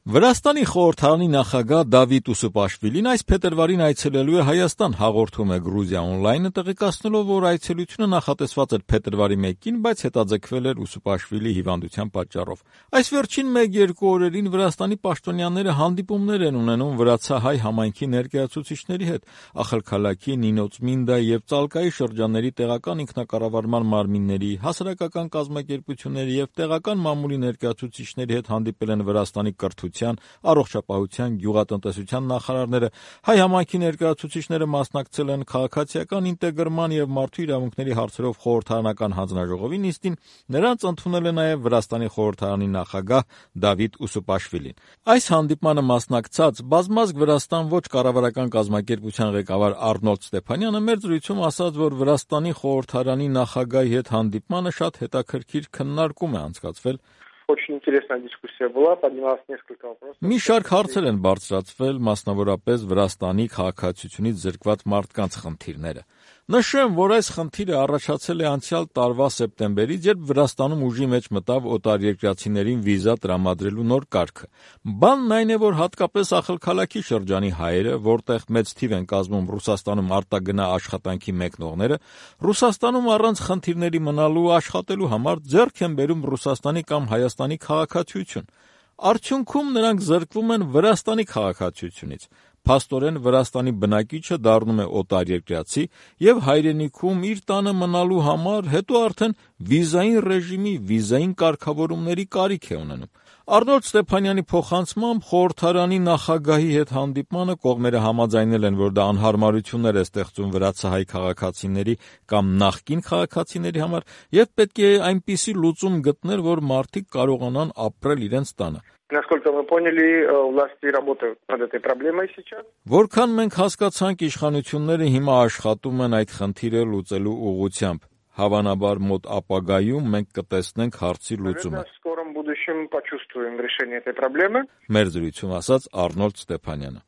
Վրաստանի խորհրդարանի նախագահ Դավիթ Ուսուպաշվիլին այս փետրվարին այցելելու է Հայաստան, հաղորդում է Գրուզիա օնլայնը, տեղեկացնելով, որ այցելությունը նախատեսված էր փետրվարի 1-ին, բայց հետաձգվել էր Ուսուպաշվիլի հիվանդության պատճառով։ Այս վերջին 1-2 օրերին Վրաստանի պաշտոնյաները հանդիպումներ են ունենում վրացահայ համայնքի ներկայացուցիչների հետ, Ախալքալաքի, Նինոցմինդա եւ Ծալկայի շրջանների տեղական ինքնակառավարման մարմինների, հասարակական կազմակերպությունների եւ տեղական մամուլի ներկայացուցիչների հետ հանդիպել են Վրաստանի կրթության, առողջապահության, գյուղատնտեսության նախարարները, հայ համայնքի ներկայացուցիչները մասնակցել են քաղաքացիական ինտեգրման եւ մարդու իրավունքների հարցերով խորհրդարանական հանձնաժողովի նիստին, նրանց ընդունել է նաեւ Վրաստանի խորհրդարանի նախագահ Դավիթ Ուսուպաշվիլին։ Այս հանդիպմանը մասնակցած Բազմազգ Վրաստան ոչ կառավարական կազմակերպության ղեկավար Արնոլդ Ստեփանյանը մեր զրույցում ասաց, որ Վրաստանի խորհրդարանի նախագահի հետ հանդիպմանը շատ հետաքրքիր քննարկում է անցկացվել։ Очень интересная дискуссия была, поднялось несколько вопросов. Մի շարք հարցեր են բարձրացվել, մասնավորապես Վրաստանի քաղաքացիությունից զրկված մարդկանց խնդիրները։ Նշեմ, որ այս խնդիրը առաջացել է անցյալ տարվա սեպտեմբերից, երբ Վրաստանում ուժի մեջ մտավ օտարերկրացիներին վիզա տրամադրելու նոր կարգը։ Բանն այն է, որ հատկապես Ախալքալաքի շրջանի հայերը, որտեղ մեծ թիվ են կազմում Ռուսաստանում արտագնա աշխատանքի մեկնողները, Ռուսաստանում առանց խնդիրների մնալու աշխատելու համար ձեռք են բերում Ռուսաստանի կամ Հայաստանի քաղաքացիություն։ Արդյունքում նրանք զրկվում են Վրաստանի քաղաքացիությունից։ Փաստորեն Վրաստանի բնակիչը դառնում է օտարերկրացի եւ հայրենիքում իր տանը մնալու համար հետո արդեն վիզային ռեժիմի, վիզային կարգավորումների կարիք է ունենում։ Արնոլդ Ստեփանյանի փոխանցմամբ խորհրդարանի նախագահի հետ հանդիպմանը կողմերը համաձայնել են, որ դա անհարմարություններ է ստեղծում վրացահայ քաղաքացիների կամ նախկին քաղաքացիների համար եւ պետք է այնպիսի լուծում գտնել, որ մարդիկ կարողանան ապրել իրենց տանը։ Насколько мы поняли, власти работают над этой проблемой сейчас. Որքան մենք հասկացանք, իշխանությունները հիմա աշխատում են այդ խնդիրը լուծելու ուղղությամբ։ Հավանաբար մոտ ապագայում մենք կտեսնենք հարցի լուծումը։ В скором будущем почувствуем решение этой проблемы. Մեր զրույցում ասաց Արնոլդ Ստեփանյանը։